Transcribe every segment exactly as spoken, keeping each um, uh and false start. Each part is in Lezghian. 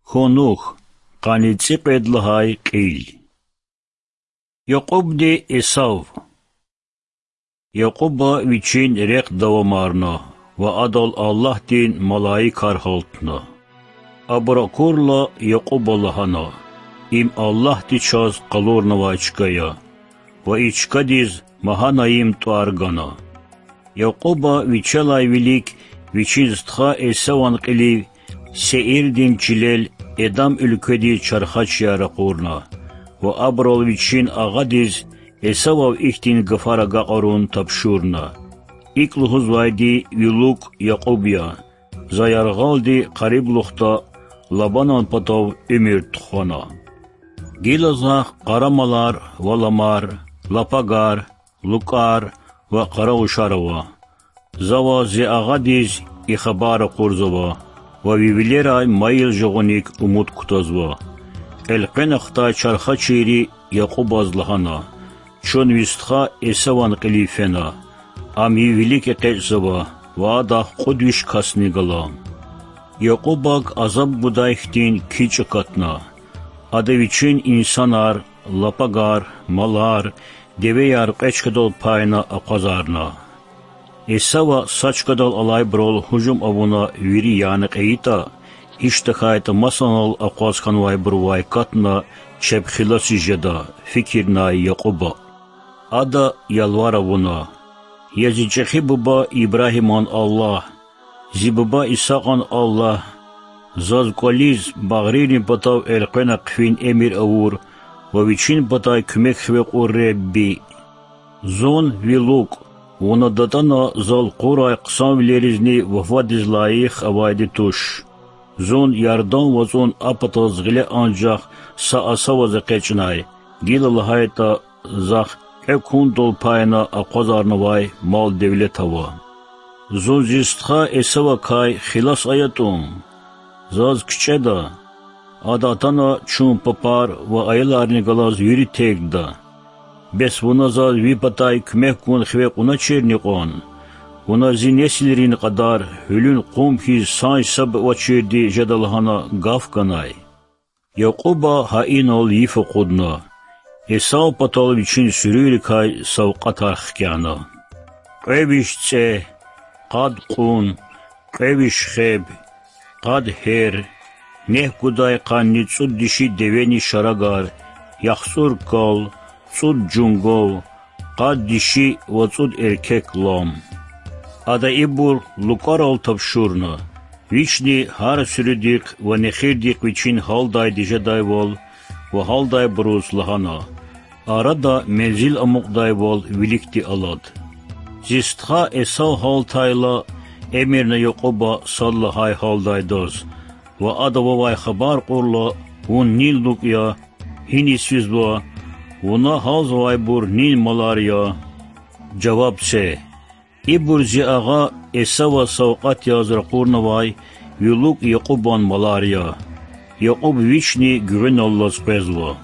Хьунухь, къанни цӀикьвед лагьай кьил. Якьубди Эсав. Якьуба вичин рехъ давамарна ва адал Аллагьдин малаикар гьалтна. Абур акурла, Якьуба лагьана: Им Аллагьди чаз къалурнавай чка я. Ва и чкадиз Магьанайим тӀвар гана. Якьуба вичелай вилик вичин стха Эсаван кьилив Сеирдин чилел Эдам уьлкведиз чархачияр ракъурна ва абурал вичин агъадиз Эсавав ихьтин гафар агакьарун тапшурна: ИкӀ лугьузвайди ви лукӀ Якьуб я. За яргъалди къариблухда Лабанан патав уьмуьр тухвана. Гила захъ къарамалар ва ламар, лапагар, лукӀар ва къаравушар ава. За ваз, зи агъадиз, и хабар ракъурзава ва ви вилерай майил жагъуник умуд кутазва. Элкъвена хтай чархачийри Якьубаз лагьана: Чун ви стха Эсаван кьилив фена. Ам ви вилик экъечӀзава ва адахъ кьуд виш касни гала. Якьубак азаб гудай хьтин кичӀ акатна. Ада вичин инсанар, лапагар, малар, девеяр кьве чкадал пайна акъвазарна. Эсава са чкадал алайбурал гьужум авуна вири яна кьейитӀа, гьич тахьайтӀа масанал акъваз хьанвайбурувай катна чеб хиласиз жеда, фикирнай Якьуба. Ада ялвар авуна: Я зи чӀехи буба Ибрагьиман Аллагь, зи буба Исакьан Аллагь, заз кӀвализ багърийрин патав элкъвена хъфин эмир авур ва вичин патай куьмек хиве кьур Ребби! Зун, ви лукӀ, вуна датӀана зал кьурай хъсанвилеризни вафадиз лайих авайди туш. Зун Ярдан вацӀун а патаз гъиле анжах са асаваз экъечӀнай, гила лагьайтӀа, захъ кьве куьнтал пайна акъвазарнавай мал-девлет ава. Зун зи стха Эсавакай хилас аятӀун? Заз кичӀеда. Ада атана чун папар ва аяларни галаз вири тергда. Бес вуна заз ви патай куьмек гун хиве кьуначирни кьван? Вуна зи несилрин кьадар гьуьлуьн къум хьиз санжсаб авачирди жеда лагьана гаф ганай. Якьуба гьа инал йиф акъудна, Эсав патал вичин суьруьйрикай савкьватар хкяна: кьве виш цӀегь, къад кьун, кьве виш хеб, къад гьер, нек гудай къанни цӀуд диши девени шарагар, яхцӀур кал, цӀуд жунгав, къад диши ва цӀуд эркек лам. Ада ибур лукӀарал тапшурна, вични гьар суьруьдихъ ва нехирдихъ вичин гьалдайди жедайвал ва гьалдайбуруз лагьана: Арада мензил амукьдайвал виликди алад. Зи стха Эсав гьалтайла, эмирна Якьуба сад лагьай гьалдайдаз ва ада вавай хабар кьурла: Вун нин лукӀ я, гьиниз физва, вуна гьалзавайбур нин малар я? Жаваб це: Ибур зи агъа Эсаваз савкьват яз ракъурнавай ви лукӀ Якьубан малар я. Якьуб вични гуьгъуьналлаз къвезва.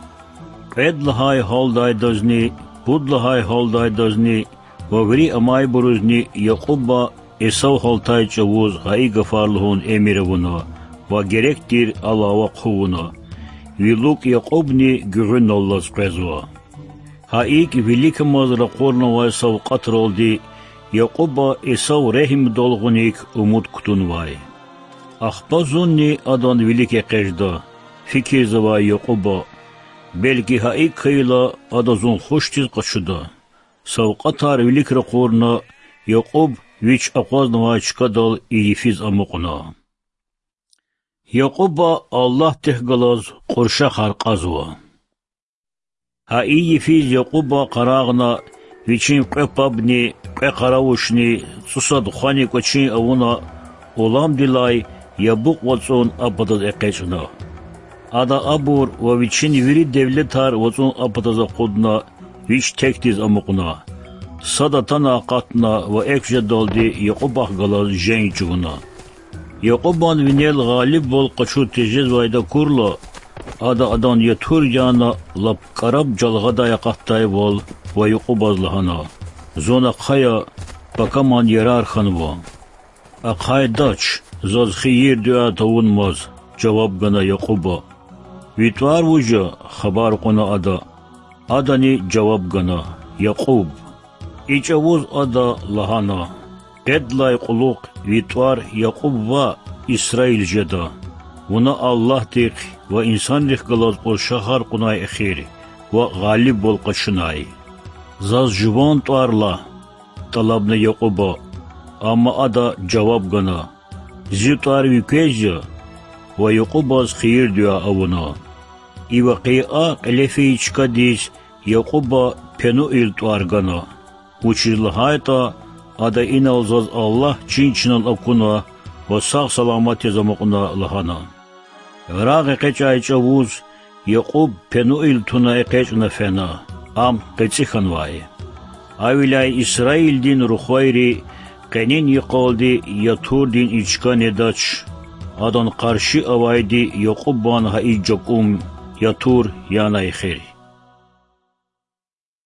Кьвед лагьай гьалдайдазни, пуд лагьай гьалдайдазни ва вири амайбурузни Якьуба Эсав гьалтай чӀавуз гьа и гафар лугьун эмир авуна ва герек тир алава хъувуна. Ви лукӀ Якьубни гуьгъуьналлаз къвезва. Гьа икӀ виликамаз ракъурнавай савкьватралди Якьуба Эсав регьимдал гъуник умуд кутунвай. Ахпа зунни адан вилик экъечӀда, фикирзавай Якьуба, белки гьа икӀ хьайила ада зун хушдиз къачуда. Савкьватар вилик ракъурна, Якьуб вич акъвазнавай чкадал и йифиз амукьна. Якьуба Аллагьдихъ галаз кьуршахар кьазва. Гьа и йифиз Якьуба къарагъна, вичин кьве пабни, кьве къаравушни, цӀусад хвани кӀвачин авуна, уламдилай Ябукь вацӀун а патаз экъечӀна. Ада абур ва вичин вири девлетар вацӀун а патаз акъудна, вич текдиз амукьна. Сад атана акъатна ва экв жедалди Якьубахъ галаз женг чӀугуна. Якьубан винел гъалибвал къачуз тежезвайди акурла, ада адан ятур яна лап кӀараб жалгъадай акъатдайвал ва Якьубаз лагьана: Зун ахъая, пакаман ярар хьанва. Ахъайдач, заз хийир-дуьа тавунмаз, жаваб гана Якьуба. Ви тӀвар вуж я? хабар кьуна ада. Адани жаваб гана: Якьуб. И чӀавуз ада лагьана: Къедлай кьулухъ ви тӀвар Якьуб ваъ, Исраил жеда. Вуна Аллагьдихъ ва инсанрихъ галаз кьуршахар кьунай эхир ва гъалибвал къачунай. Заз жуван тӀвар лагь,– тӀалабна Якьуба. Амма ада жаваб гана: Зи тӀвар ви квез я. Ва Якьубаз хийир-дуьа авуна. И вакъиа кьиле фейи чкадиз Якьуба Пенуил тӀвар гана, вучиз лагьайтӀа ада инал заз Аллагь чин-чинал акуна ва сагъ-саламат яз амукьна лагьана. Рагъ экъечӀай чӀавуз Якьуб Пенуил туна экъечӀна фена, ам къецӀи хьанвай. Гьавиляй Исраилдин рухвайри къенин йикъалди Ятурдин и чка недач, адан къарши авайди Якьубан гьа и жакӀум, Ятур, янай эхир.